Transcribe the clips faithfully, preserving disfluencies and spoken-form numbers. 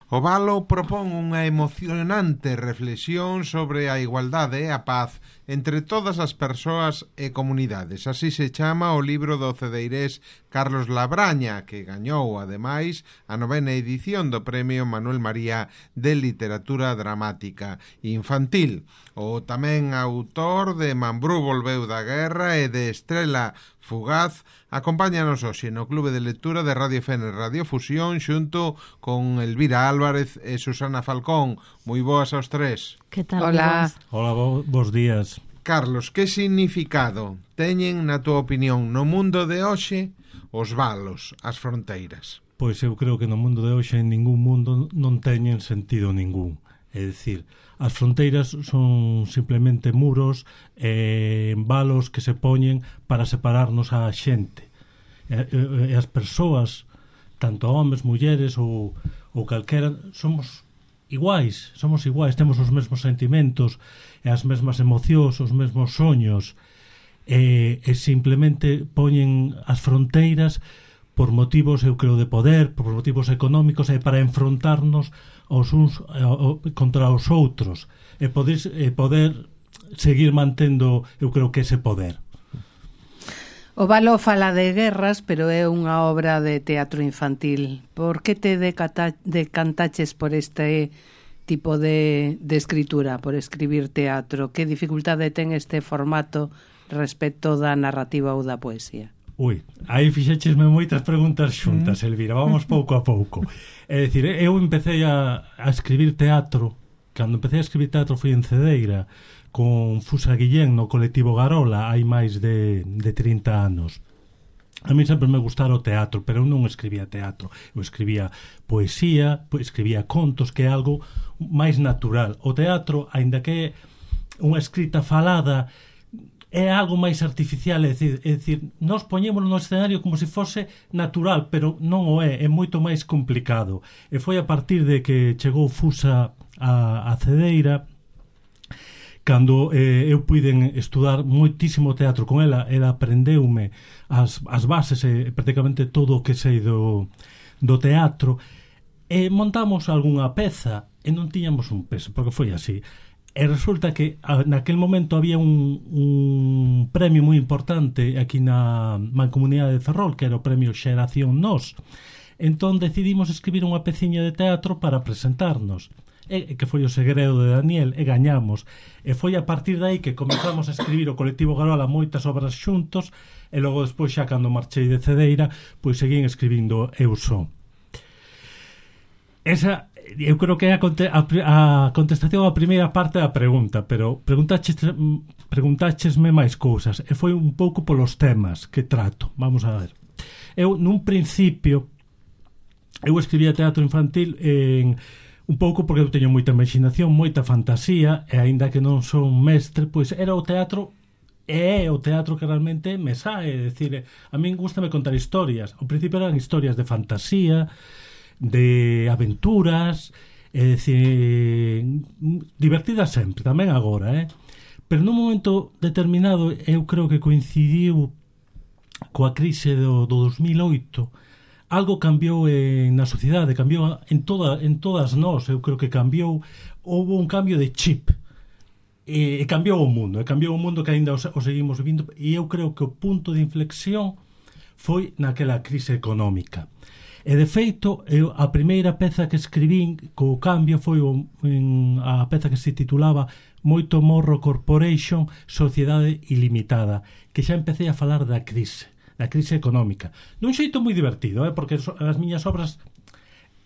O Valo propón unha emocionante reflexión sobre a igualdade e a paz entre todas as persoas e comunidades. Así se chama o libro do cedeirés Carlos Labraña, que gañou, ademais, a novena edición do Premio Manuel María de Literatura Dramática Infantil. O tamén autor de Mambrú volveu da guerra e de Estrela Fugaz acompáñanos hoxe no Clube de Lectura de Radio F N Radio Fusión xunto con Elvira Álvarez e Susana Falcón. Moi boas aos tres. Que tal? Hola. Hola, bo, bos días. Carlos, que significado teñen, na túa opinión, no mundo de hoxe os valos, as fronteiras? Pois eu creo que no mundo de hoxe en ningún mundo non teñen sentido ningún. É dicir, as fronteiras son simplemente muros e valos que se poñen para separarnos a xente. E, e as persoas, tanto homes, mulleres ou, ou calquera, somos iguais, somos iguais, temos os mesmos sentimentos e as mesmas emocións, os mesmos soños, e, e simplemente poñen as fronteiras por motivos, eu creo, de poder, por motivos económicos e para enfrontarnos os uns contra os outros e poder, e poder seguir mantendo, eu creo que ese poder. O Valo fala de guerras, pero é unha obra de teatro infantil. Por que te decata, decantaches por este tipo de, de escritura, por escribir teatro? Que dificultade ten este formato respecto da narrativa ou da poesía? Ui, aí fixéchesme moitas preguntas xuntas, Elvira, vamos pouco a pouco. É dicir, eu empecé a, a escribir teatro, cando empecé a escribir teatro foi en Cedeira, con Fusa Guillén no colectivo Garola, hai máis de, de trinta anos. A mí sempre me gustara o teatro, pero eu non escribía teatro, eu escribía poesía, escribía contos, que é algo máis natural. O teatro, aínda que é unha escrita falada, é algo máis artificial, é dicir, é dicir, nós poñémoslo no escenario como se fose natural, pero non o é, é moito máis complicado. E foi a partir de que chegou Fusa a, a Cedeira, cando eh, eu puiden estudar moitísimo teatro con ela, ela aprendeume as, as bases e prácticamente todo o que sei do, do teatro, e montamos algunha peza e non tiñamos un peso, porque foi así. E resulta que naquel momento había un, un premio moi importante aquí na Mancomunidade de Ferrol, que era o premio Xeración Nos. Entón decidimos escribir unha peciña de teatro para presentarnos, e que foi o segredo de Daniel, e gañamos. E foi a partir de aí que comenzamos a escribir o colectivo Garola moitas obras xuntos, e logo despois xa cando marchei de Cedeira, pois seguín escribindo eu só. Esa eu creo que é a, conte, a, a contestación á primeira parte da pregunta, pero preguntaches, preguntáchesme máis cousas, e foi un pouco polos temas que trato. Vamos a ver. Eu, nun principio, eu escribía teatro infantil en, un pouco porque eu teño moita imaginación, moita fantasía, e aínda que non son mestre, pois era o teatro, e é o teatro que realmente me sae. É dicir, a min gustame contar historias. Ao principio eran historias de fantasía, de aventuras, é dicir, divertidas sempre, tamén agora, eh? Pero nun momento determinado eu creo que coincidiu coa crise do, do dos mil oito. Algo cambiou en, na sociedade, cambiou en, toda, en todas nós, eu creo que cambiou, houve un cambio de chip, e, e cambiou o mundo, e cambiou o mundo que ainda o, o seguimos vivindo, e eu creo que o punto de inflexión foi naquela crise económica. E de feito, eu, a primeira peza que escribín co cambio foi o, en, a peza que se titulaba Moito Morro Corporation, Sociedade Ilimitada, que xa empecé a falar da crise, da crise económica. Nun xeito moi divertido, eh, porque as miñas obras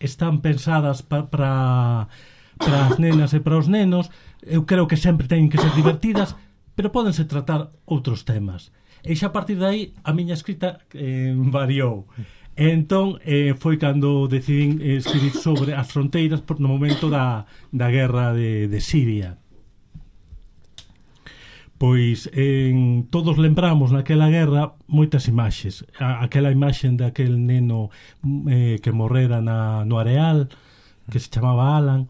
están pensadas pa, para para as nenas e para os nenos. Eu creo que sempre teñen que ser divertidas, pero pódense tratar outros temas. E xa a partir de aí a miña escrita eh, variou. E entón eh, foi cando decidín escribir sobre as fronteiras no momento da, da guerra de, de Siria. Pois en, todos lembramos naquela guerra moitas imaxes. A, aquela imaxen daquel neno eh, que morrera na, no areal, que se chamaba Alan.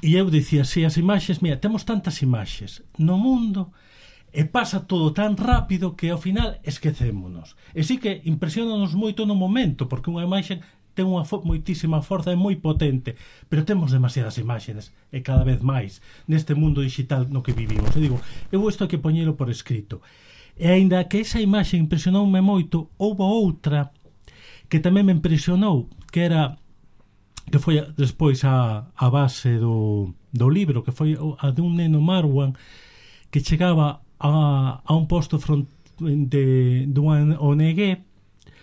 E eu dicía, si as imaxes, mira, temos tantas imaxes no mundo, e pasa todo tan rápido que ao final esquecémonos. E sí que impresionanos moito no momento, porque unha imaxe ten unha fo- moitísima forza, é moi potente, pero temos demasiadas imaxes, e cada vez máis, neste mundo digital no que vivimos. E digo, eu isto hai que poñelo por escrito. E aínda que esa imaxe impresionoume moito, houve outra que tamén me impresionou, que era que foi despois a, a base do, do libro, que foi a de un neno Marwan que chegaba a, a un posto front, de, dunha O N G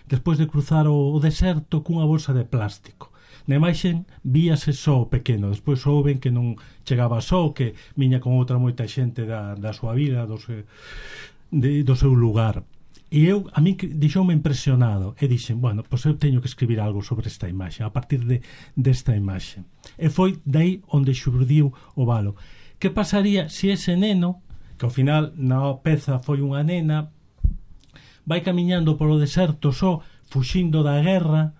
despois de cruzar o, o deserto cunha bolsa de plástico. Na imaxe víase só o pequeno, despois souben que non chegaba só, que viña con outra moita xente da, da súa vida, do seu, de, do seu lugar. E eu, a mí deixoume impresionado e dixen, bueno, pois eu teño que escribir algo sobre esta imaxe, a partir de desta imaxe. E foi dai onde xurdiu o valo. Que pasaría se ese neno, que ao final na peza foi unha nena, vai camiñando polo deserto só, fuxindo da guerra,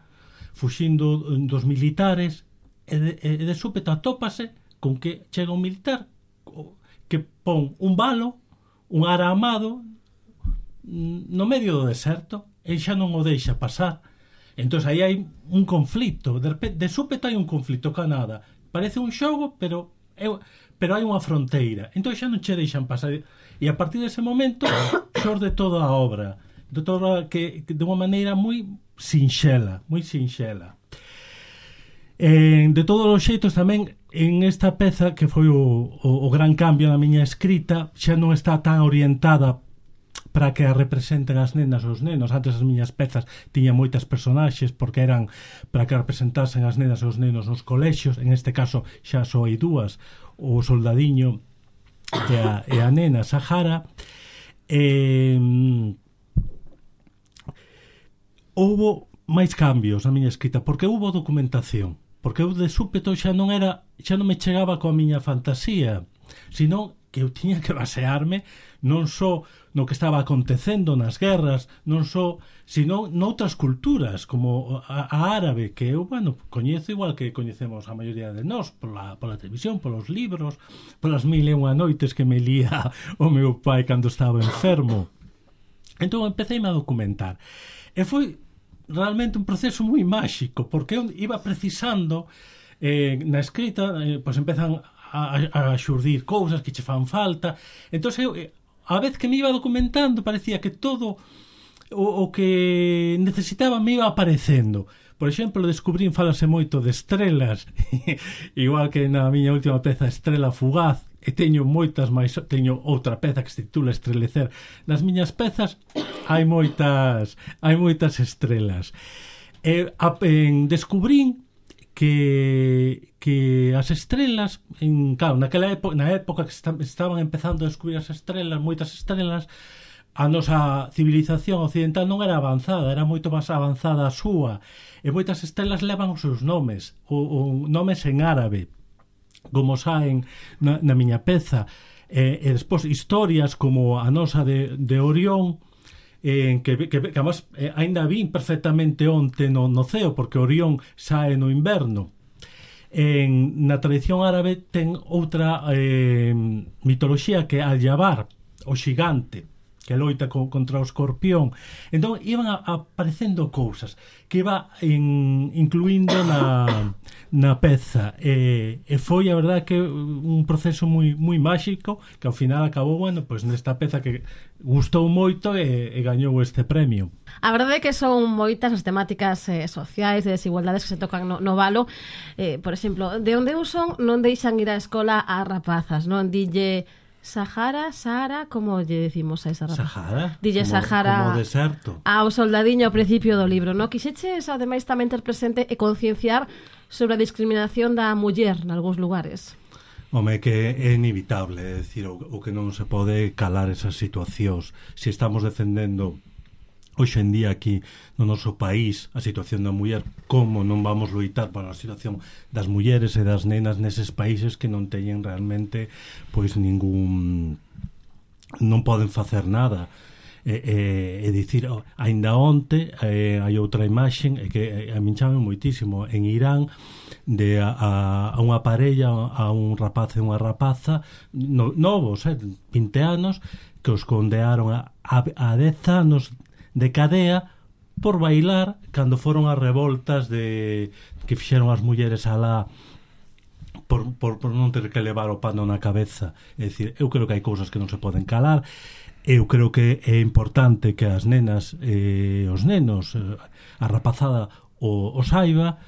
fuxindo dos militares, e de, e de súpeto atópase con que chega un militar que pon un valo, un aramado no medio do deserto e xa non o deixa pasar. Entón aí hai un conflito, de, repente, de súpeto hai un conflito ca nada, parece un xogo, pero eu, pero hai unha fronteira, entón xa non che deixan pasar, e a partir dese momento xorde toda a obra de toda que, que de unha maneira moi sinxela, moi sinxela. Eh, de todos os xeitos tamén en esta peza que foi o, o, o gran cambio na miña escrita, xa non está tan orientada para que a representen as nenas ou os nenos. Antes as miñas pezas tiñan moitas personaxes porque eran para que representasen as nenas e os nenos nos colexios. En este caso xa só hai dúas, o soldadiño e a, e a nena Sahara. E, houbo máis cambios na miña escrita porque houbo documentación, porque eu de súpeto xa non era, xa non me chegaba coa miña fantasía, senón que eu tiña que basearme non só no que estaba acontecendo nas guerras, non só, sino noutras culturas, como a, a árabe, que eu, bueno, coñezo igual que coñecemos a maioría de nós, pola, pola televisión, polos libros, polas mil e unha noites que me lía o meu pai cando estaba enfermo. Entón empecéime a documentar. E foi realmente un proceso moi máxico, porque eu iba precisando eh, na escrita, eh, pois empezan a, a xurdir cousas que che fan falta. Entón eu, a vez que me iba documentando, parecía que todo o, o que necesitaba me iba aparecendo. Por exemplo, descubrín, falase moito de estrelas, igual que na miña última peza Estrela Fugaz, e teño moitas máis, teño outra peza que se titula Estrelecer. Nas miñas pezas hai moitas hai moitas estrelas. E a, en, descubrín que que as estrelas, en, claro, naquela época, na época que está, estaban empezando a descubrir as estrelas, moitas estrelas, a nosa civilización occidental non era avanzada, era moito máis avanzada a súa, e moitas estrelas levan os seus nomes, o, o nomes en árabe, como saen na, na miña peza, e, e despois historias como a nosa de, de Orión, en que, que, que además eh, ainda vin perfectamente onte no, no ceo, porque Orión sae no inverno. En, na tradición árabe ten outra eh, mitoloxía que é Al-Jabar, o xigante, que loita co, contra o escorpión. Entón iban a, a aparecendo cousas que iba en, incluindo na, na peza, e, e foi a verdade que un proceso moi, moi máxico, que ao final acabou, bueno, pois nesta peza que gustou moito e, e gañou este premio. A verdade é que son moitas as temáticas eh, sociais, de desigualdades que se tocan no, no valo. Eh, por exemplo, de onde eu son non deixan ir á escola a rapazas, non? Dille Sahara, Sahara, como lle decimos a esa rapaza? Sahara? Dille como, Sahara como deserto. Ao soldadiño ao principio do libro, non? Quixeches, ademais, tamén ter presente e concienciar sobre a discriminación da muller nalgúns lugares. Home, que é inevitable, é dicir, o, o que non se pode calar esas situacións. Se estamos defendendo hoxe en día aquí no noso país a situación da muller, como non vamos loitar para a situación das mulleres e das nenas neses países que non teñen realmente pois ningún, non poden facer nada. E, e, e dicir, aínda onte eh, hai outra imaxe que a min chame moitísimo en Irán, de a, a, a unha parella, a un rapaz e unha rapaza no, novos, eh, vinte anos, que os condearon a, a, a dez anos de cadea por bailar cando foron as revoltas de que fixeron as mulleres alá por, por, por non ter que levar o pano na cabeza. É dicir, eu creo que hai cousas que non se poden calar. Eu creo que é importante que as nenas e eh, os nenos, eh, a rapazada o, o saiba,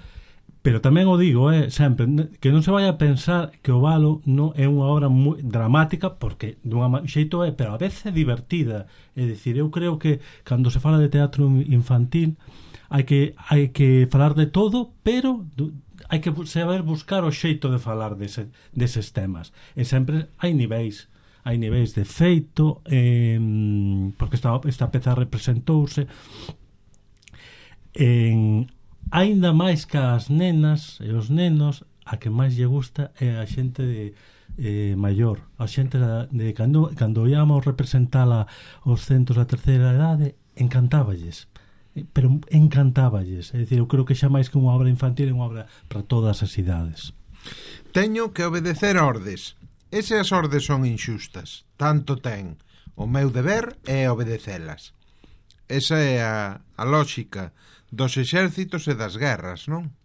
pero tamén o digo, eh, sempre, que non se vai a pensar que o Valo non é unha obra moi dramática, porque dunha xeito é, pero a veces é divertida. É dicir, eu creo que cando se fala de teatro infantil hai que hai que falar de todo, pero hai que saber buscar o xeito de falar dese, deses temas. E sempre hai niveis, hai niveis de feito, eh, porque esta, esta peza representouse en aínda máis que as nenas e os nenos, a que máis lle gusta é a xente de, eh, maior, a xente de, de cando, cando íamos representala os centros da terceira idade, encantáballes, pero encantáballes. É dicir, eu creo que xa máis que unha obra infantil é unha obra para todas as idades. Teño que obedecer ordes, e se as ordes son inxustas, tanto ten o meu deber é obedecelas. Esa é a, a lógica dos exércitos e das guerras, non?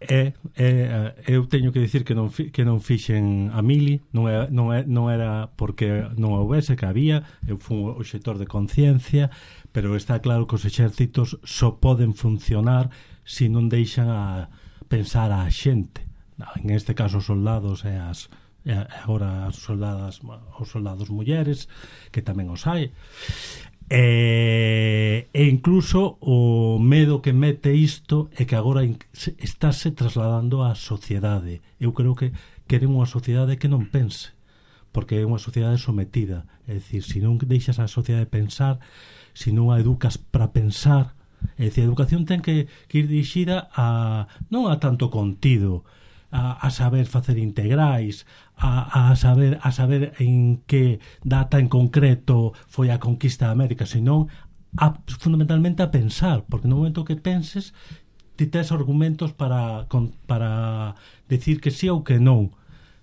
É, é, eu teño que dicir que non fi, que non fixen a mili, non, é, non, é, non era porque non houvese, que había, eu fui un obxector de conciencia, pero está claro que os exércitos só poden funcionar se non deixan a pensar a xente. En este caso os soldados e as e agora as soldadas, os soldados mulleres, que tamén os hai. E, e incluso o medo que mete isto é que agora estáse trasladando á sociedade. Eu creo que queren unha sociedade que non pense, porque é unha sociedade sometida. É dicir, se non deixas a sociedade pensar, se non a educas para pensar, é dicir, a educación ten que, que ir dirixida a non a tanto contido, a, a saber facer integrais, a, a saber a saber en que data en concreto foi a conquista de América, senón a, fundamentalmente a pensar, porque no momento que penses ti tes argumentos para, con, para decir que sí ou que non.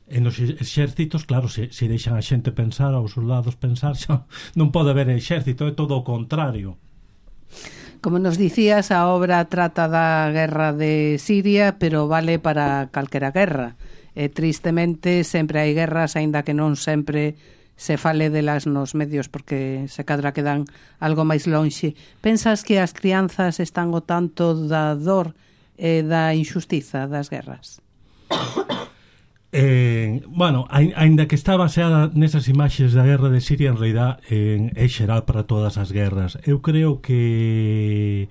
En os exércitos, claro, se, se deixan a xente pensar, aos soldados pensar, xa non pode haber exército, é todo o contrario. Como nos dicías, a obra trata da guerra de Siria, pero vale para calquera guerra. E tristemente sempre hai guerras, aínda que non sempre se fale delas nos medios, porque se cadra quedan algo máis lonxe. Pensas que as crianzas están o tanto da dor e da injustiza das guerras? Eh, bueno, aínda que está baseada nesas imaxes da guerra de Siria, en realidad eh, é xeral para todas as guerras. Eu creo que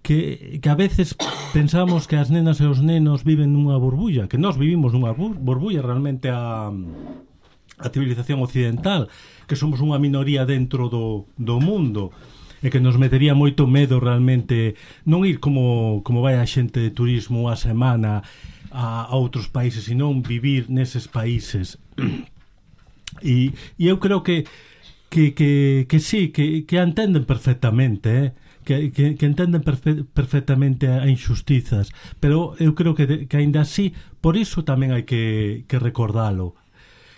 que, que a veces pensamos que as nenas e os nenos viven nunha burbulla, que nós vivimos nunha burbulla, realmente a, a civilización occidental, que somos unha minoría dentro do, do mundo, e que nos metería moito medo realmente non ir como, como vai a xente de turismo a semana a, a outros países, e non vivir neses países. E, e eu creo que que, que, que sí, que, que entenden perfectamente, eh? que, que, que entenden perfe perfectamente a injustizas, pero eu creo que, que ainda así, por iso tamén hai que, que recordalo.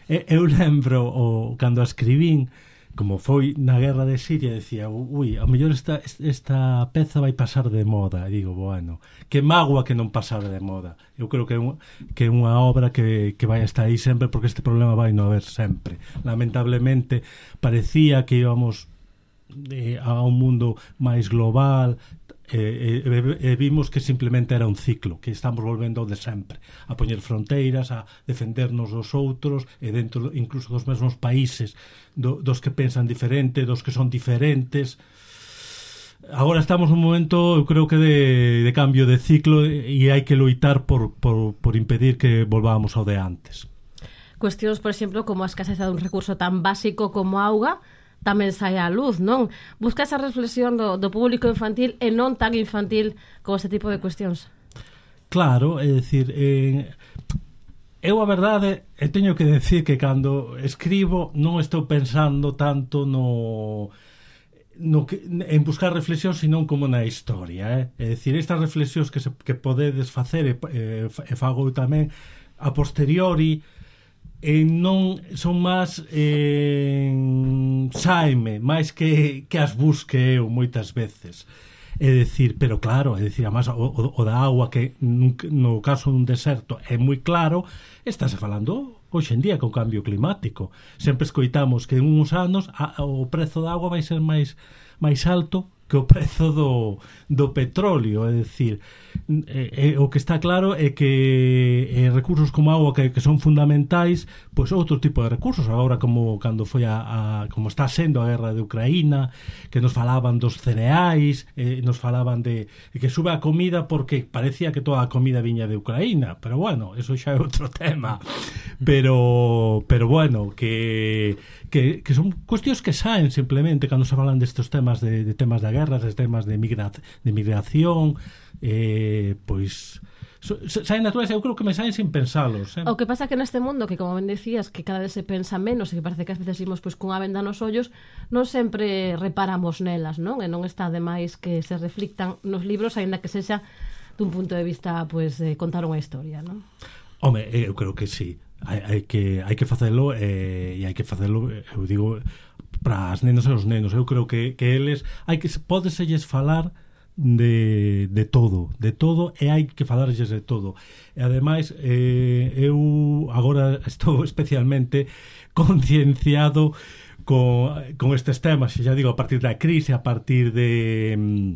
E, eu lembro o, cando a escribín, como foi na guerra de Siria, decía, ui, a mellor esta, esta peza vai pasar de moda. E digo, bueno, que mágoa que non pasar de moda. Eu creo que é un, que é unha obra que, que vai estar aí sempre, porque este problema vai non haber sempre. Lamentablemente parecía que íbamos eh, a un mundo máis global, e, e, e vimos que simplemente era un ciclo, que estamos volvendo de sempre, a poñer fronteiras, a defendernos dos outros, e dentro incluso dos mesmos países, do, dos que pensan diferente, dos que son diferentes. Agora estamos nun momento, eu creo que de, de cambio de ciclo, e hai que loitar por, por, por impedir que volvamos ao de antes. Cuestións, por exemplo, como a escaseza dun recurso tan básico como a auga, tamén sai á luz, non? Busca esa reflexión do, do público infantil e non tan infantil como este tipo de cuestións. Claro, é dicir, eh, eu a verdade, e teño que decir que cando escribo non estou pensando tanto no, no que, en buscar reflexión, senón como na historia, eh? É dicir, estas reflexións que, se, que podedes facer e, e, e fago tamén a posteriori, e non son máis eh, saime, máis que, que as busque eu moitas veces. É dicir, pero claro, é dicir, además, o, o, o da agua que no caso dun deserto é moi claro, estáse falando hoxe en día con cambio climático. Sempre escoitamos que en uns anos a, o prezo da agua vai ser máis máis alto que o prezo do, do petróleo, é dicir, eh, eh, o que está claro é que eh, recursos como a agua que, que son fundamentais, pois outro tipo de recursos, agora como cando foi a, a como está sendo a guerra de Ucraína, que nos falaban dos cereais, eh, nos falaban de, de que sube a comida porque parecía que toda a comida viña de Ucraína, pero bueno, eso xa é outro tema. Pero pero bueno, que que, que son cuestións que saen simplemente cando se falan destes temas de, de temas de guerras, de temas de, migra, de migración, eh, pois so, saen naturales, eu creo que me saen sin pensalos, eh? O que pasa que neste mundo, que como ben decías, que cada vez se pensa menos e que parece que ás veces imos pois, cunha venda nos ollos, non sempre reparamos nelas, non? E non está de máis que se reflictan nos libros, aínda que sexa dun punto de vista pois, de contar unha historia, non? Home, eu creo que sí, hai, hai que hai que facelo eh, e hai que facelo, eu digo, para as nenos e os nenos. Eu creo que, que eles hai que pódeselles falar de, de todo, de todo e hai que falarlles de todo. E ademais eh, eu agora estou especialmente concienciado con, con estes temas, xa digo, a partir da crise, a partir de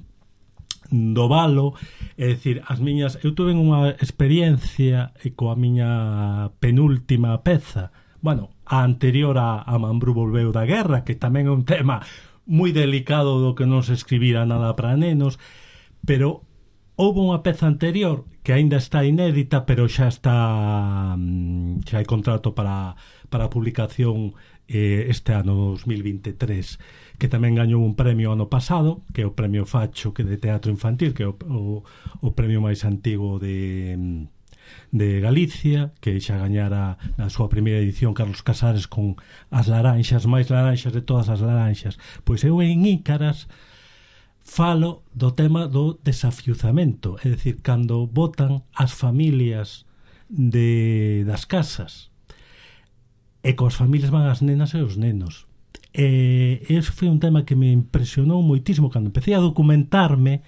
do valo, é dicir, as miñas, eu tuve unha experiencia coa miña penúltima peza, bueno, a anterior a, a Mambrú volveu da guerra, que tamén é un tema moi delicado do que non se escribira nada para nenos, pero houve unha peza anterior que aínda está inédita, pero xa está xa hai contrato para, para a publicación eh, este ano dos mil veintitrés, que tamén gañou un premio ano pasado, que é o premio Facho, que de teatro infantil, que é o, o, o premio máis antigo de de Galicia, que xa gañara na súa primeira edición Carlos Casares con As laranxas, máis laranxas de todas as laranxas. Pois eu en Ícaras falo do tema do desafiuzamento, é dicir, cando botan as familias de, das casas e coas familias van as nenas e os nenos. E ese foi un tema que me impresionou moitísimo cando empecé a documentarme,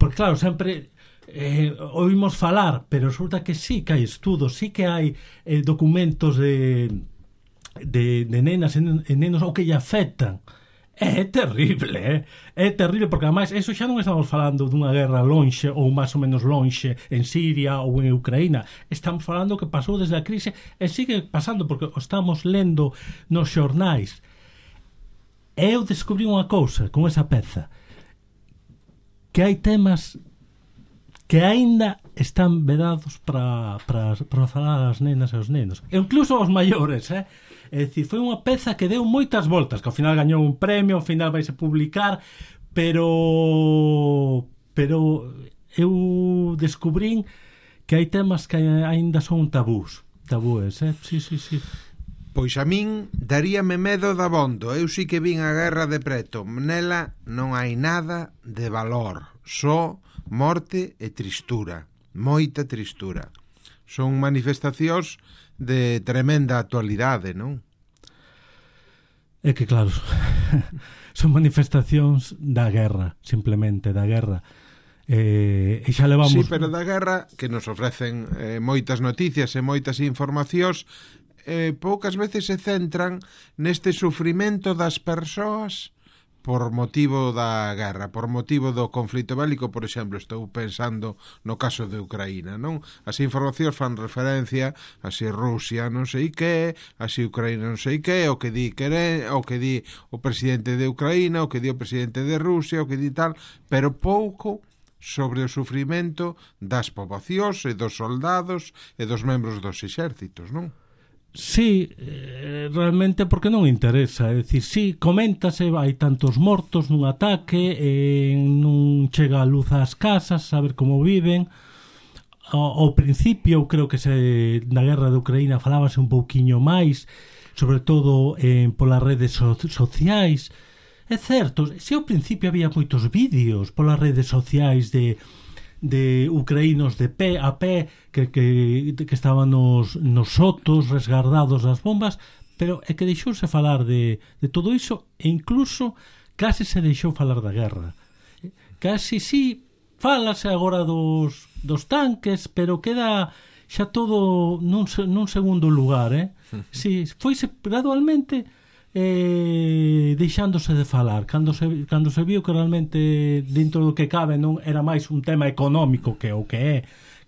porque claro, sempre eh, oímos falar, pero resulta que sí que hai estudos, sí que hai eh, documentos de, de, de nenas e nenos ou que lle afectan. É terrible, eh? É terrible, porque ademais eso xa non estamos falando dunha guerra lonxe ou máis ou menos lonxe en Siria ou en Ucraína, estamos falando que pasou desde a crise e sigue pasando porque o estamos lendo nos xornais. E eu descubrí unha cousa con esa peza, que hai temas que aínda están vedados para, para, para falar as nenas e os nenos, e incluso aos maiores, eh? É dicir, foi unha peza que deu moitas voltas, que ao final gañou un premio, ao final vaise publicar, pero pero eu descubrín que hai temas que aínda son tabús, tabúes, eh? Sí, sí, sí. Pois a min daríame medo da bondo. Eu sí que vin a guerra de preto. Nela non hai nada de valor, só morte e tristura, moita tristura. Son manifestacións de tremenda actualidade, non? É que claro, son manifestacións da guerra, simplemente da guerra. Eh, e xa levamos... Sí, pero da guerra que nos ofrecen eh, moitas noticias e moitas informacións, eh, poucas veces se centran neste sufrimento das persoas por motivo da guerra, por motivo do conflito bélico. Por exemplo, estou pensando no caso de Ucraína, non? As informacións fan referencia a si Rusia non sei que, a si Ucraína non sei que, o que di quere, o que di o presidente de Ucraína, o que di o presidente de Rusia, o que di tal, pero pouco sobre o sufrimento das poboacións e dos soldados e dos membros dos exércitos, non? Sí, eh, realmente porque non interesa, é dicir, sí, coméntase, hai tantos mortos nun ataque, eh, non chega a luz ás casas, saber como viven. Ao, ao principio, eu creo que se na guerra de Ucraína falábase un pouquiño máis, sobre todo eh, polas redes so, sociais. É certo, se ao principio había moitos vídeos polas redes sociais de de ucraínos de pé a pé que, que, que estaban nos, nos sotos resguardados das bombas, pero é que deixouse falar de, de todo iso e incluso case se deixou falar da guerra. Casi sí, fálase agora dos, dos tanques, pero queda xa todo nun, nun segundo lugar, eh? Si, foise gradualmente eh, deixándose de falar cando se, cando se viu que realmente dentro do que cabe non era máis un tema económico que o que é,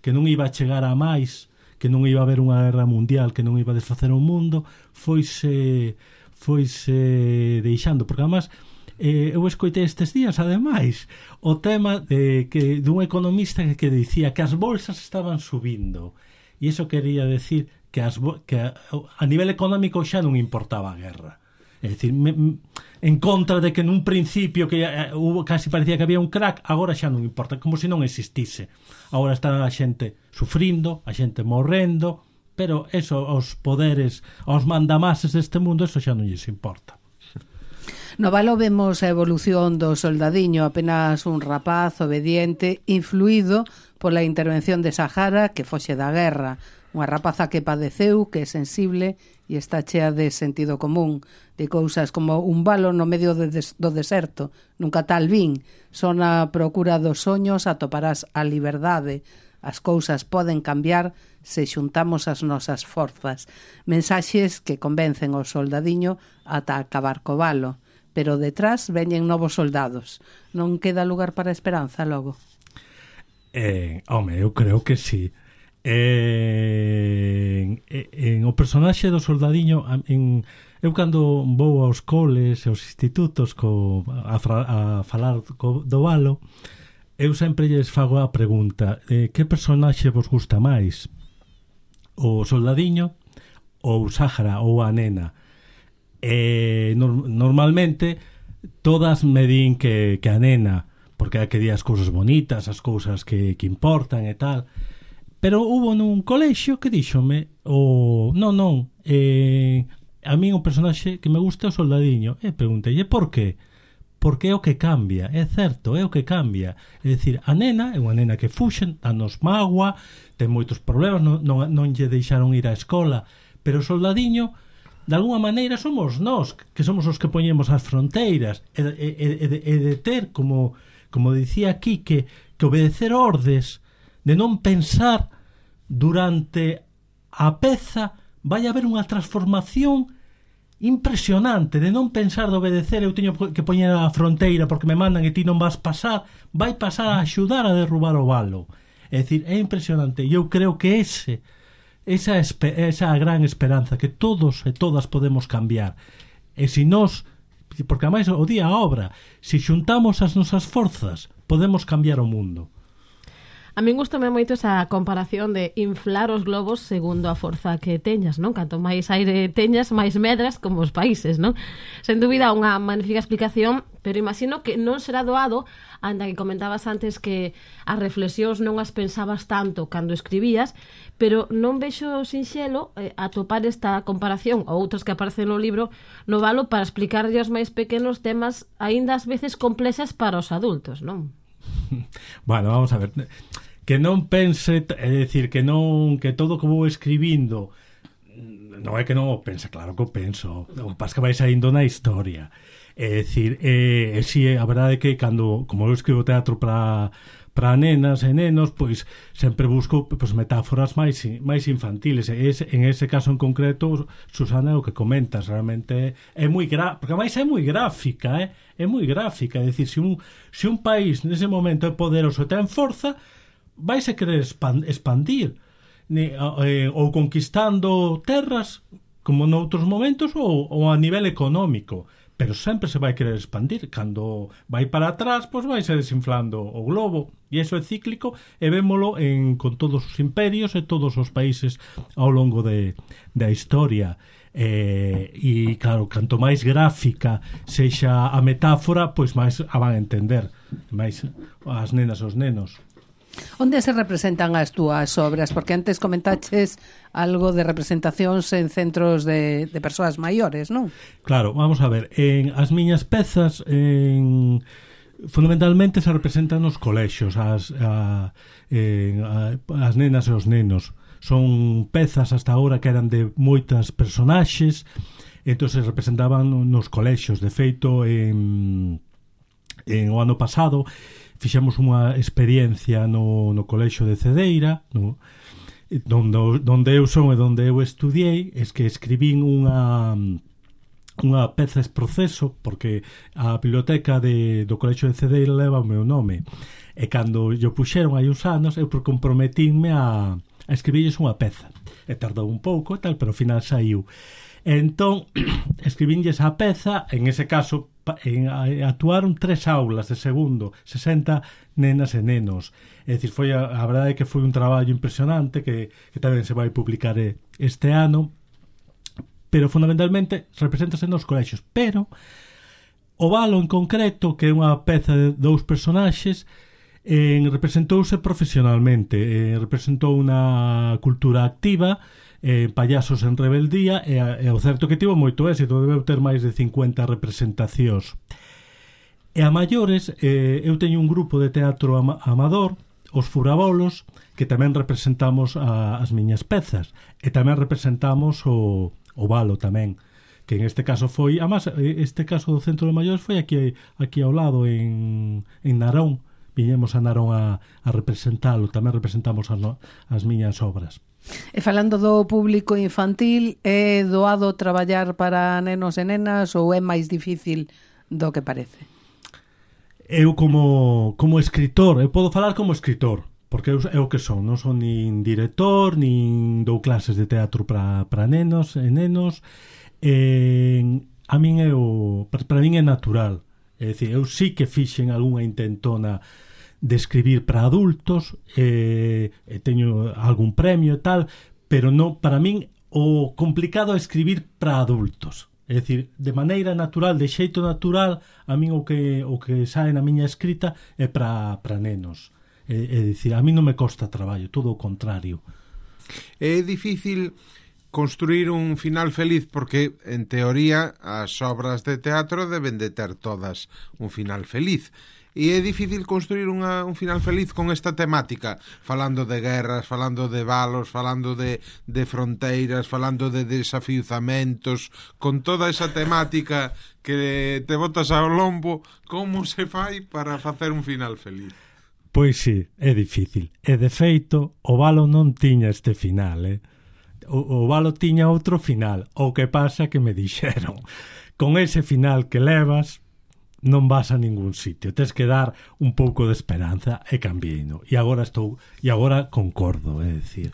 que non iba a chegar a máis, que non iba a haber unha guerra mundial, que non iba a desfacer o mundo, foise foise deixando, porque además eh, eu escoitei estes días ademais o tema de que dun economista que, que dicía que as bolsas estaban subindo e iso quería decir que, as, que a, a nivel económico xa non importaba a guerra. É dicir, me, en contra de que nun principio que uh, hubo, casi parecía que había un crack, agora xa non importa, como se non existise. Agora está a xente sufrindo, a xente morrendo, pero eso, os poderes, os mandamases deste mundo, eso xa non lles importa. No Valo vemos a evolución do soldadiño, apenas un rapaz obediente, influído pola intervención de Sahara que foxe da guerra, unha rapaza que padeceu, que é sensible e está chea de sentido común, de cousas como un valo no medio de des, do deserto, nunca tal vin, son a procura dos soños, atoparás a liberdade, as cousas poden cambiar se xuntamos as nosas forzas, mensaxes que convencen o soldadiño ata acabar co valo, pero detrás veñen novos soldados, non queda lugar para a esperanza logo? Eh, home, eu creo que sí. Eh, en, en o personaxe do soldadiño, en, eu cando vou aos coles e aos institutos co, a, a falar co, do Valo, eu sempre lles fago a pregunta: eh, que personaxe vos gusta máis? O soldadiño ou Sahara ou a nena? Eh, no, normalmente todas me din que, que a nena, porque hai que dir as cousas bonitas, as cousas que, que importan e tal. Pero hubo nun colexio que díxome o non, non, eh, a mí un personaxe que me gusta é o soldadiño. E preguntei, e por qué? Porque é o que cambia, é certo, é o que cambia. É dicir, a nena é unha nena que fuxen, danos mágoa, ten moitos problemas, non, non, non lle deixaron ir á escola, pero o soldadiño, de alguma maneira, somos nós, que somos os que poñemos as fronteiras, e, e, e, de, e de ter, como, como dicía aquí, que, que obedecer ordes, de non pensar durante a peza, vai haber unha transformación impresionante, de non pensar de obedecer, eu teño que poñer a fronteira porque me mandan e ti non vas pasar, vai pasar a axudar a derrubar o valo. É dicir, é impresionante, e eu creo que ese esa esa gran esperanza, que todos e todas podemos cambiar, e se nós, porque ademais o día a obra, se xuntamos as nosas forzas, podemos cambiar o mundo. A min gustame moito esa comparación de inflar os globos segundo a forza que teñas, non? Canto máis aire teñas, máis medras como os países, non? Sen dúbida unha magnífica explicación, pero imagino que non será doado, anda que comentabas antes que as reflexións non as pensabas tanto cando escribías, pero non vexo sinxelo eh, atopar esta comparación ou outras que aparecen no libro no Valo para explicarlle aos máis pequenos temas aínda ás veces complexas para os adultos, non? Bueno, vamos a ver, que non pense, é dicir, que non, que todo que vou escribindo non é que non o pense, claro que o penso, o que pasa que vai saindo na historia. É dicir, é, é, si, a verdade é que cando, como eu escribo teatro para para nenas e nenos, pois sempre busco pois, metáforas máis máis infantiles. E ese, en ese caso en concreto, Susana, o que comentas realmente é moi gra... porque máis é moi gráfica, eh? É moi gráfica, é dicir, se un, se un país nese momento é poderoso e ten forza, vaise querer expandir, ne, eh, ou conquistando terras como noutros momentos, ou, ou a nivel económico, pero sempre se vai querer expandir. Cando vai para atrás, pois vai se desinflando o globo, e iso é cíclico, e vémolo en, con todos os imperios e todos os países ao longo de, da historia. Eh, e claro, canto máis gráfica sexa a metáfora, pois máis a van a entender máis as nenas e os nenos. Onde se representan as túas obras? Porque antes comentaches algo de representacións en centros de, de persoas maiores, non? Claro, vamos a ver, en as miñas pezas, en fundamentalmente se representan nos colexios as, a, eh, a, as nenas e os nenos. Son pezas hasta agora que eran de moitas personaxes, entón se representaban nos colexios. De feito, en, en o ano pasado fixemos unha experiencia no, no colexio de Cedeira, no, donde, donde eu son e donde eu estudiei, es que escribín unha unha peza es proceso, porque a biblioteca de, do colexio de Cedeira leva o meu nome, e cando yo puxeron hai uns anos eu comprometínme a a escribirles unha peza, e tardou un pouco e tal, pero ao final saiu. E entón escribínlles a peza, en ese caso en, a, actuaron tres aulas de segundo, sesenta nenas e nenos, é dicir, foi a, a verdade é que foi un traballo impresionante que, que tamén se vai publicar este ano, pero fundamentalmente represéntase nos colexios. Pero o Valo en concreto, que é unha peza de dous personaxes, Eh, representouse profesionalmente, eh, representou unha cultura activa, eh, payasos en rebeldía, e, e o certo que tivo moito éxito, debeu ter máis de cincuenta representacións. E a maiores, eh, eu teño un grupo de teatro ama amador, os Furabolos, que tamén representamos a, as miñas pezas, e tamén representamos o, o Valo tamén, que en este caso foi, además, este caso do Centro de Maiores foi aquí, aquí ao lado, en, en Narón. Viñemos a Narón a, a representalo, tamén representamos as, no, as miñas obras. E falando do público infantil, é doado traballar para nenos e nenas ou é máis difícil do que parece? Eu como, como escritor, eu podo falar como escritor, porque eu, é o que son, non son nin director, nin dou clases de teatro para para nenos e nenos, e, a min é o, para, para min é natural. É dicir, eu sí que fixen algunha intentona de escribir para adultos, e, e teño algún premio e tal, pero non, para min o complicado é escribir para adultos. É dicir, de maneira natural, de xeito natural, a min o que o que sae na miña escrita é para para nenos. É, é dicir, a min non me costa traballo, todo o contrario. É difícil construir un final feliz porque, en teoría, as obras de teatro deben de ter todas un final feliz. E é difícil construir unha, un final feliz con esta temática, falando de guerras, falando de valos, falando de, de fronteiras, falando de desafiuzamentos, con toda esa temática que te botas ao lombo. Como se fai para facer un final feliz? Pois sí, é difícil. E de feito, o Valo non tiña este final, eh? O, o Valo tiña outro final. O que pasa que me dixeron, con ese final que levas non vas a ningún sitio, tes que dar un pouco de esperanza, e cambiei-no. E agora estou, e agora concordo, é dicir,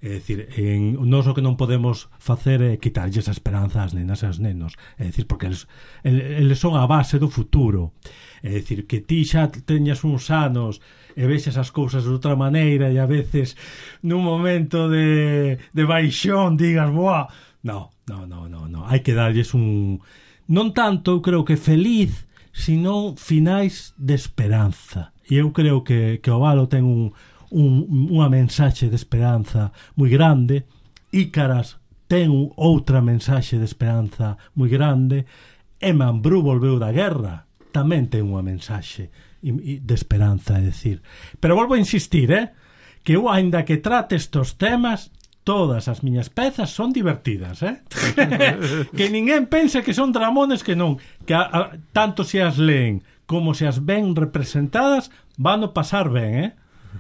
é dicir, en nós o que non podemos facer é quitarlles a esperanza ás nenas e aos nenos, é dicir, porque eles, eles son a base do futuro. É dicir, que ti xa teñas uns anos e vexas as cousas de outra maneira e a veces nun momento de, de baixón digas, boa, no, no, no, no, no, hai que darlles un, non tanto, eu creo que feliz, sino finais de esperanza. E eu creo que, que o Valo ten un, un, unha mensaxe de esperanza moi grande, Ícaras ten outra mensaxe de esperanza moi grande, e Mambrú volveu da guerra, tamén ten unha mensaxe de esperanza, é dicir. Pero volvo a insistir, eh, que eu, aínda que trate estos temas, todas as miñas pezas son divertidas, eh? Que ninguén pense que son dramones, que non, que a, a, tanto se as leen como se as ven representadas, van a pasar ben, eh?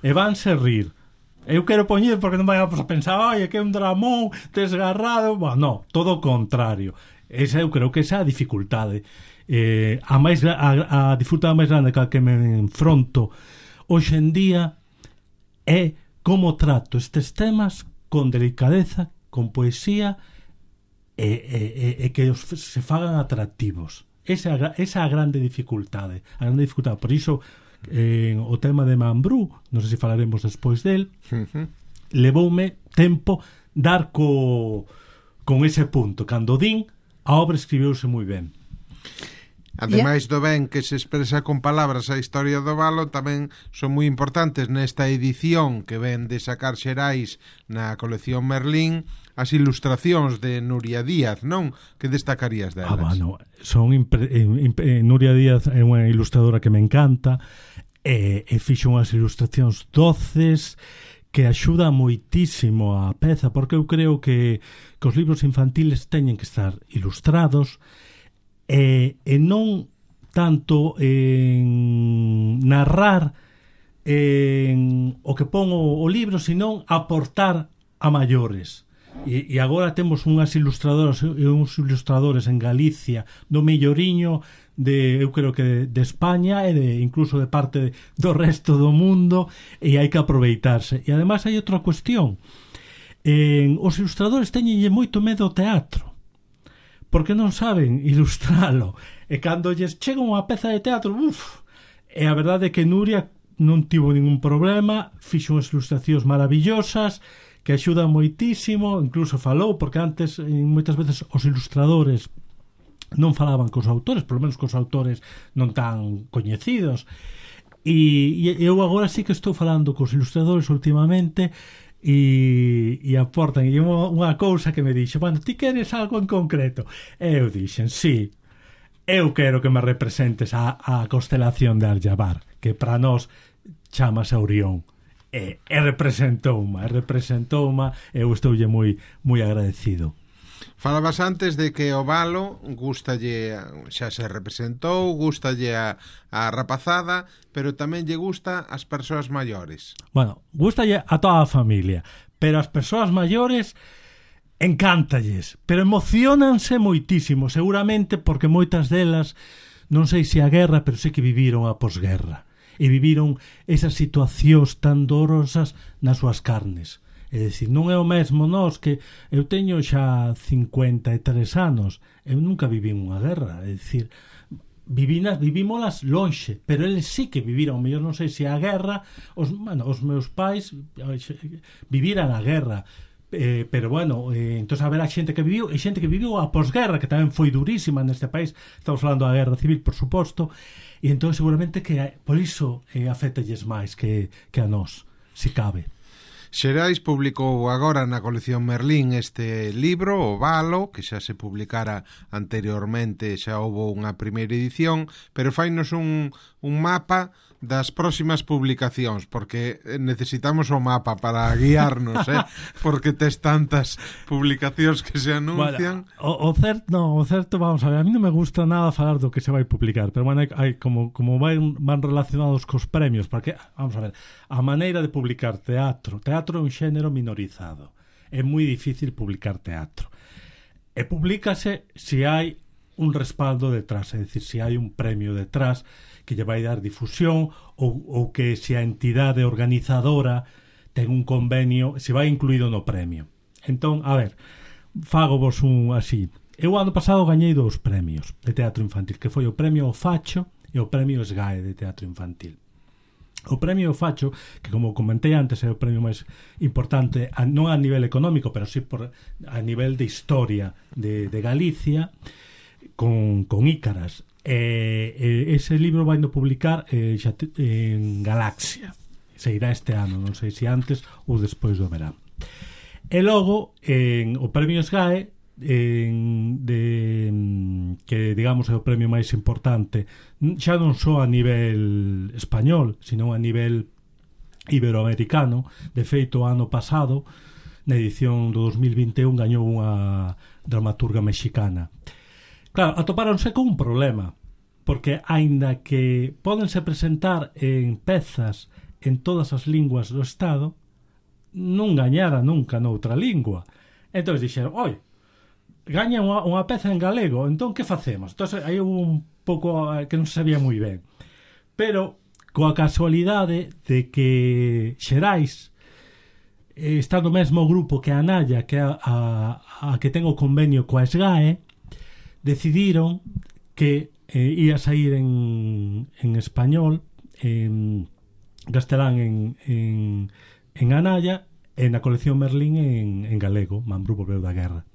E vanse rir. Eu quero poñer porque non vai a pensar, ai, que é un dramón desgarrado. Bueno, no, todo o contrario. Esa eu creo que esa é a dificultade. Eh, a, máis, a, a dificultade máis grande que a que me enfronto hoxe en día é como trato estes temas con delicadeza, con poesía, e, e, e que os, se fagan atractivos. Esa, esa é a grande dificultade, a grande dificultade. Por iso, eh, o tema de Mambrú, non sei se falaremos despois del, uh-huh. levoume tempo dar co, con ese punto. Cando din, a obra escribiuse moi ben. Ademais do ben que se expresa con palabras a historia do valo, tamén son moi importantes nesta edición que ven de sacar Xerais na colección Merlín as ilustracións de Nuria Díaz, non? Que destacarías delas? Ah, bueno, son impre, impre, Nuria Díaz é unha ilustradora que me encanta e, e fixo unhas ilustracións doces que axuda moitísimo a peza, porque eu creo que, que os libros infantiles teñen que estar ilustrados e, e non tanto en narrar en o que pon o, o libro, senón aportar a maiores. E, e agora temos unhas ilustradoras e uns ilustradores en Galicia do melloriño de, eu creo que de España e de, incluso de parte do resto do mundo, e hai que aproveitarse. E ademais hai outra cuestión, en, os ilustradores teñenlle moito medo ao teatro porque non saben ilustralo, e cando lles chega unha peza de teatro, uff, e a verdade é que Nuria non tivo ningún problema, fixo unhas ilustracións maravillosas que axudan moitísimo, incluso falou, porque antes moitas veces os ilustradores non falaban cos autores, polo menos cos autores non tan coñecidos, e, e eu agora sí que estou falando cos ilustradores últimamente, e, e aportan, e unha, unha cousa que me dixe, bueno, ti queres algo en concreto? E eu dixen, sí, eu quero que me representes a, a constelación de Aljabar, que para nós chamase Orión. E, e representouma, e representouma, e eu estoulle moi moi agradecido. Falabas antes de que o valo gustalle, xa se representou, gustalle a, a rapazada, pero tamén lle gusta as persoas maiores. Bueno, gustalle a toda a familia, pero as persoas maiores encántalles, pero emocionanse moitísimo, seguramente porque moitas delas, non sei se a guerra, pero sei que viviron a posguerra. E viviron esas situacións tan dolorosas nas súas carnes. É dicir, non é o mesmo nós, que eu teño xa cincuenta e tres anos, eu nunca viví unha guerra, é dicir, vivinas, vivímolas lonxe, pero eles sí que viviron, mellor non sei se a guerra, os, bueno, os meus pais viviran a guerra, Eh, pero bueno, eh, entón haberá xente que viviu e xente que viviu a posguerra, que tamén foi durísima neste país, estamos falando da guerra civil, por suposto, e entón seguramente que por iso eh, afétalles máis que, que a nós, se cabe. Xerais publicou agora na colección Merlín este libro, O Valo, que xa se publicara anteriormente, xa houve unha primeira edición, pero fainos un, un mapa das próximas publicacións, porque necesitamos o mapa para guiarnos, eh? Porque tes tantas publicacións que se anuncian. Bueno, o, o certo, no, o certo, vamos a ver, a mí non me gusta nada falar do que se vai publicar, pero bueno, hai, hai como, como van, van relacionados cos premios, porque, vamos a ver, a maneira de publicar teatro, teatro é un xénero minorizado, é moi difícil publicar teatro, e publícase se hai un respaldo detrás, é dicir, se hai un premio detrás que lle vai dar difusión, ou, ou que se a entidade organizadora ten un convenio, se vai incluído no premio. Entón, a ver, fago vos un así. Eu ano pasado gañei dous premios de teatro infantil, que foi o premio O Facho e o premio SGAE de teatro infantil. O premio O Facho, que como comentei antes é o premio máis importante, non a nivel económico, pero sí por, a nivel de historia de, de Galicia, con, con Ícaras. E, e ese libro vai no publicar eh, xa te, en Galaxia, se irá este ano, non sei se antes ou despois do verán. E logo en o premio SGAE, en, de, que digamos é o premio máis importante xa non só a nivel español, sino a nivel iberoamericano. De feito, o ano pasado, na edición do dos mil vinte e un, gañou unha dramaturga mexicana. Claro, atopáronse con un problema, porque aínda que pódense presentar en pezas en todas as linguas do Estado, non gañara nunca noutra lingua. Entón dixeron, oi, gaña unha, unha peza en galego, entón que facemos? Entón aí hubo un pouco que non se sabía moi ben. Pero coa casualidade de que Xerais eh, está no mesmo grupo que a Naya, que a, a, a que ten o convenio coa SGAE, decidiron que eh, ia sair en, en español, en castelán en, en, en Anaya, e na colección Merlín en, en galego, Mambrú volveu da guerra.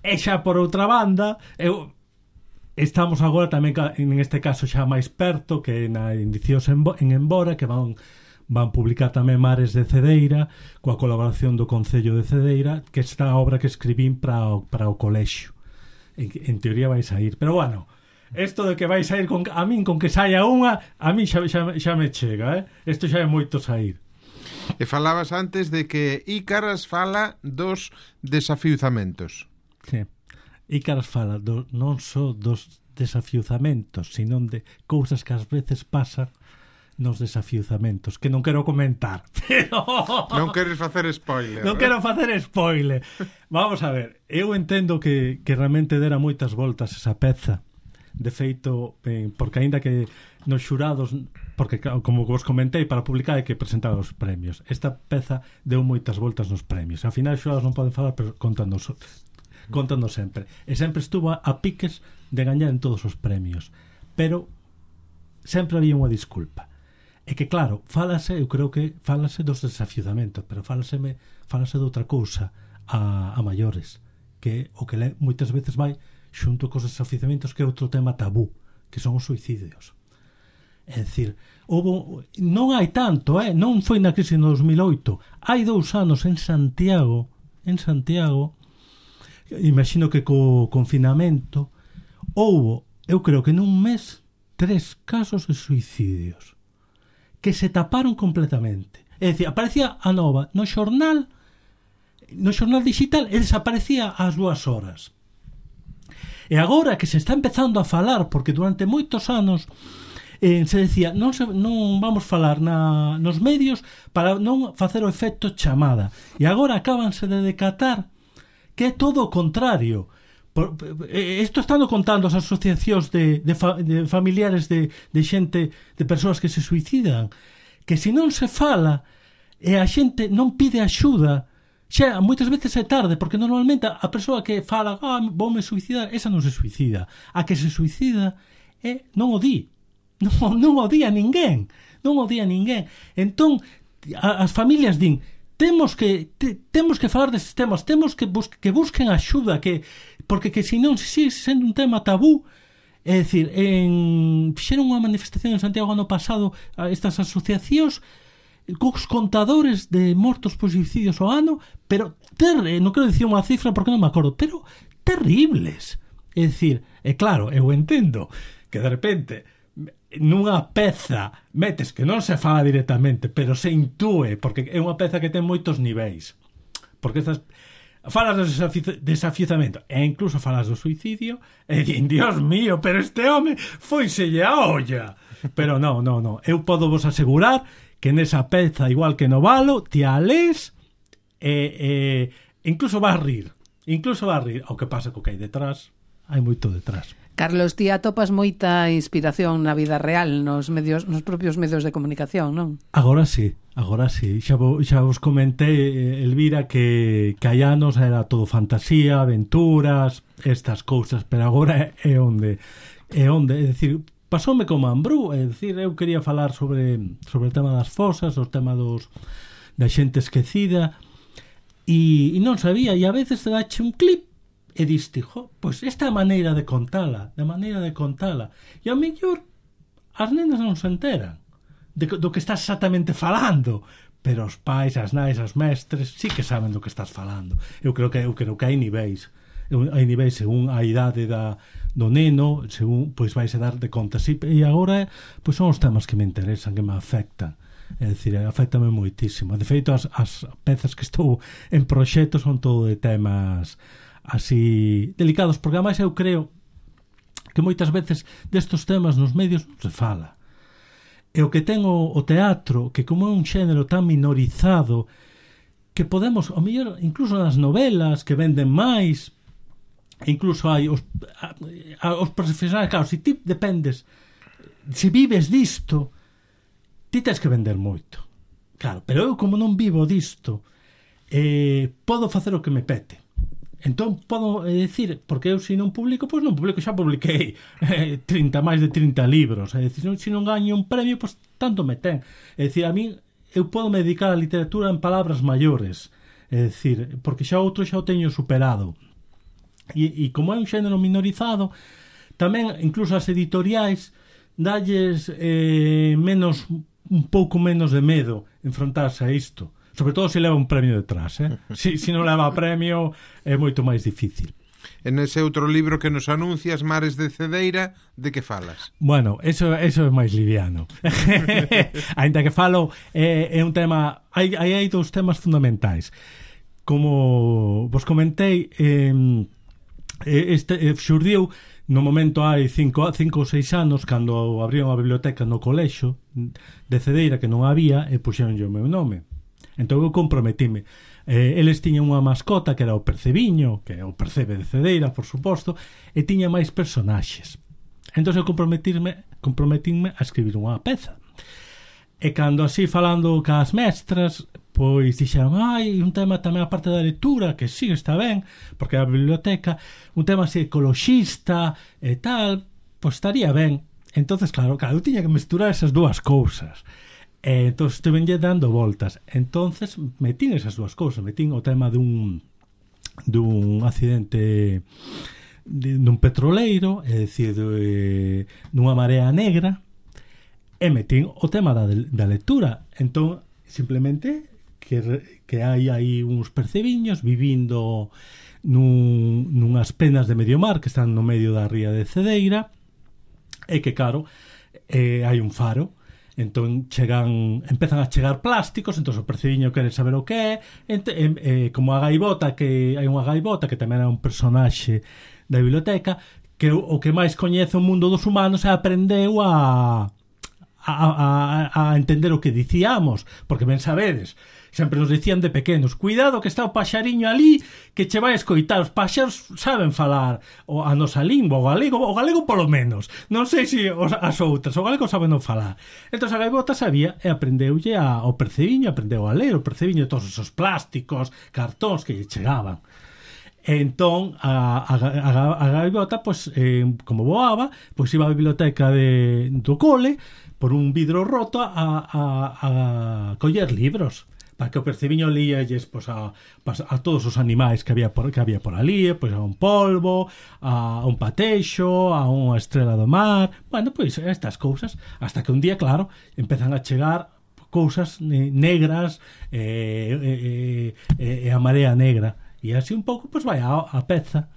E xa por outra banda, eu, estamos agora tamén, en este caso, xa máis perto, que na Indicios en, en Embora, que van van publicar tamén Mares de Cedeira, coa colaboración do Concello de Cedeira, que esta obra que escribín para o, para o colexio. En, en teoría vai sair. Pero, bueno, isto de que vai sair con, a min con que saia unha, a min xa, xa, xa me chega, eh? Isto xa é moito sair. E falabas antes de que Ícaras fala dos desafiuzamentos. Sí. Ícaras fala do, non só dos desafiuzamentos, sino de cousas que ás veces pasan nos desafiuzamentos, que non quero comentar, pero... Non queres facer spoiler. Non quero facer spoiler. Vamos a ver, eu entendo que, que realmente dera moitas voltas esa peza. De feito, eh, porque aínda que nos xurados, porque como vos comentei, para publicar hai que presentar os premios. Esta peza deu moitas voltas nos premios. Ao final os xurados non poden falar, pero contanos contando sempre. E sempre estuvo a piques de gañar en todos os premios. Pero sempre había unha disculpa. É que, claro, falase, eu creo que falase dos desafiuzamentos, pero falaseme, falase de outra cousa a, a maiores, que o que le, moitas veces vai xunto cos desafiuzamentos, que é outro tema tabú, que son os suicidios. É dicir, houve, non hai tanto, eh? Non foi na crise no dos mil oito, hai dous anos en Santiago, en Santiago, imagino que co confinamento houbo, eu creo que nun mes, tres casos de suicidios que se taparon completamente. É dicir, aparecía a nova no xornal, no xornal digital, e desaparecía ás dúas horas. E agora que se está empezando a falar, porque durante moitos anos eh, se decía, non, se, non vamos falar na, nos medios para non facer o efecto chamada. E agora acábanse de decatar que é todo o contrario. Por, isto están contando as asociacións de, de, fa, de familiares de, de xente, de persoas que se suicidan, que se non se fala e a xente non pide axuda, xa moitas veces é tarde, porque normalmente a persoa que fala, ah, voume suicidar, esa non se suicida. A que se suicida é, non o di, non, non o di a ninguén, non o di a ninguén. Entón, a, as familias din, temos que te, temos que falar destes temas, temos que, bus, que busquen axuda, que porque que se non sigue sendo un tema tabú. É dicir, en fixeron unha manifestación en Santiago ano pasado a estas asociacións cos contadores de mortos por suicidios ao ano, pero ter, non quero dicir unha cifra porque non me acordo, pero terribles. É dicir, é claro, eu entendo que de repente nunha peza metes que non se fala directamente, pero se intúe, porque é unha peza que ten moitos niveis, porque estas falas do desafiuzamento e incluso falas do suicidio e din, Dios mío, pero este home foiselle a olla. Pero non, non, non, eu podo vos asegurar que nesa peza, igual que no Valo, ti a lés e, e incluso vas rir, incluso vas rir. O que pasa co que hai detrás, hai moito detrás. Carlos, ti atopas moita inspiración na vida real nos medios, nos propios medios de comunicación, non? Agora sí, agora sí. Xa, vo, xa vos comentei, Elvira, que, que hai anos era todo fantasía, aventuras, estas cousas, pero agora é, é onde, é onde, é dicir, pasoume como Ambrú, é dicir, eu quería falar sobre, sobre o tema das fosas, o tema dos, da xente esquecida, e, e non sabía, e a veces te dache un clip, e diste, jo, pois esta é a maneira de contala, de maneira de contala. E ao mellor as nenas non se enteran de, do que estás exactamente falando, pero os pais, as nais, as mestres sí que saben do que estás falando. Eu creo que eu creo que hai niveis. Hai niveis según a idade da, do neno, según, pois vais a dar de conta. Sí, e agora, pois son os temas que me interesan, que me afectan. É dicir, afectame moitísimo. De feito, as, as pezas que estou en proxecto son todo de temas así delicados, porque ademais eu creo que moitas veces destos temas nos medios non se fala. E o que ten o, o teatro, que como é un xénero tan minorizado, que podemos, ao mellor, incluso nas novelas que venden máis, e incluso hai os, a, a, os profesionais, claro, se ti dependes, se vives disto, ti tens que vender moito, claro, pero eu como non vivo disto, eh, podo facer o que me pete. Entón podo eh, decir, porque eu se non publico, pois non publico, xa publiquei eh, trinta, máis de trinta libros, é dicir, se non gaño un premio, pois tanto me ten. É dicir, a mí eu podo me dedicar á literatura en palabras maiores, é dicir, porque xa outro xa o teño superado. E, e como é un xénero minorizado, tamén incluso as editoriais dalles eh, menos un pouco menos de medo enfrontarse a isto, sobre todo se leva un premio detrás, eh? si, si non leva premio é moito máis difícil. En ese outro libro que nos anuncias, Mares de Cedeira, de que falas? Bueno, eso, eso é máis liviano. Ainda que falo, é, é un tema... Hai, hai, hai dous temas fundamentais. Como vos comentei, eh, este eh, xurdiu no momento hai cinco, cinco ou seis anos, cando abriron a biblioteca no colexo de Cedeira, que non había, e puxeron o meu nome. Entón eu comprometime. Eh, eles tiñan unha mascota que era o Percebiño, que é o Percebe de Cedeira, por suposto, e tiña máis personaxes. Entón eu comprometirme, comprometínme a escribir unha peza. E cando así falando cas mestras, pois dixeron, ai, un tema tamén a parte da lectura, que sí, está ben, porque a biblioteca, un tema así ecoloxista e tal, pois estaría ben. Entonces, claro, claro, eu tiña que mesturar esas dúas cousas. E entón estuvenlle dando voltas. Entonces metín esas dúas cousas, metín o tema dun dun accidente de, dun petroleiro, é dicir, de, dunha marea negra, e metín o tema da, da lectura. Entón, simplemente que, que hai aí uns percebiños vivindo nun, nunhas penas de medio mar que están no medio da ría de Cedeira, e que, claro, eh, hai un faro. Entón chegan, empezan a chegar plásticos, entón o percebiño quere saber o que é, ent, e, e, como a gaivota, que hai unha gaivota que tamén é un personaxe da biblioteca, que o, o que máis coñece o mundo dos humanos e aprendeu a, a, a, a entender o que dicíamos, porque ben sabedes, sempre nos dicían de pequenos, cuidado que está o paxariño ali que che vai escoitar, os paxaros saben falar o, a nosa lingua, o galego, o galego polo menos, non sei se os, as outras, o galego saben non falar. Entón a gaivota sabía e aprendeulle a, o percebiño, aprendeu a ler o percebiño de todos esos plásticos, cartóns que lle chegaban. Entón a, a, a, a gaivota, pois, eh, como voaba, pois iba á biblioteca de, do cole por un vidro roto a, a, a coller libros, para que o percebiño líalles, pois, a, a todos os animais que había por, que había por ali, pois, a un polvo, a un patexo, a unha estrela do mar, bueno, pois estas cousas, hasta que un día, claro, empezan a chegar cousas negras e eh, eh, eh, a marea negra, e así un pouco, pois, vai a, a peza.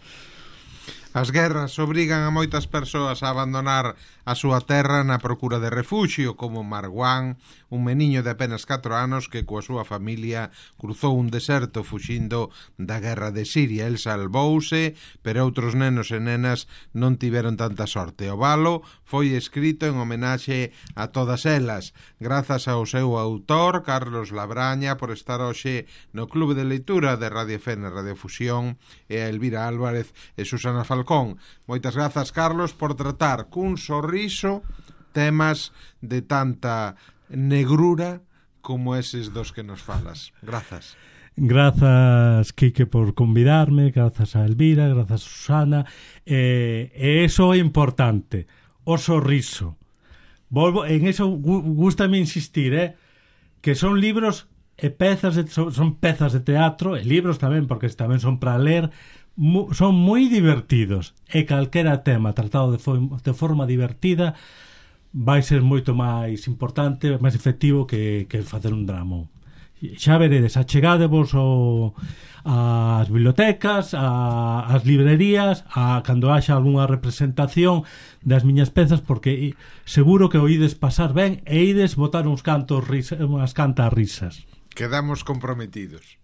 As guerras obrigan a moitas persoas a abandonar a súa terra na procura de refuxio, como Marwan, un meniño de apenas catro anos que coa súa familia cruzou un deserto fuxindo da guerra de Siria. El salvouse, pero outros nenos e nenas non tiveron tanta sorte. O valo foi escrito en homenaxe a todas elas, grazas ao seu autor, Carlos Labraña, por estar hoxe no Clube de Leitura de Radio F N Radio Fusión, e a Elvira Álvarez e Susana Falcón. Moitas grazas, Carlos, por tratar cun sorriso temas de tanta negrura como eses dos que nos falas. Grazas. Grazas, Quique, por convidarme, grazas a Elvira, grazas a Susana, e, e eso é importante, o sorriso. Volvo, en eso gústame insistir, eh, que son libros e pezas de, son, son pezas de teatro, e libros tamén, porque tamén son para ler, mu, son moi divertidos, e calquera tema tratado de, fo, de forma divertida vai ser moito máis importante, máis efectivo que, que facer un drama. Xa veredes, achegadevos o, as bibliotecas, a, as librerías, a cando haxa algunha representación das miñas pezas, porque seguro que oídes pasar ben e ides botar uns cantos risa, unhas cantas risas. Quedamos comprometidos.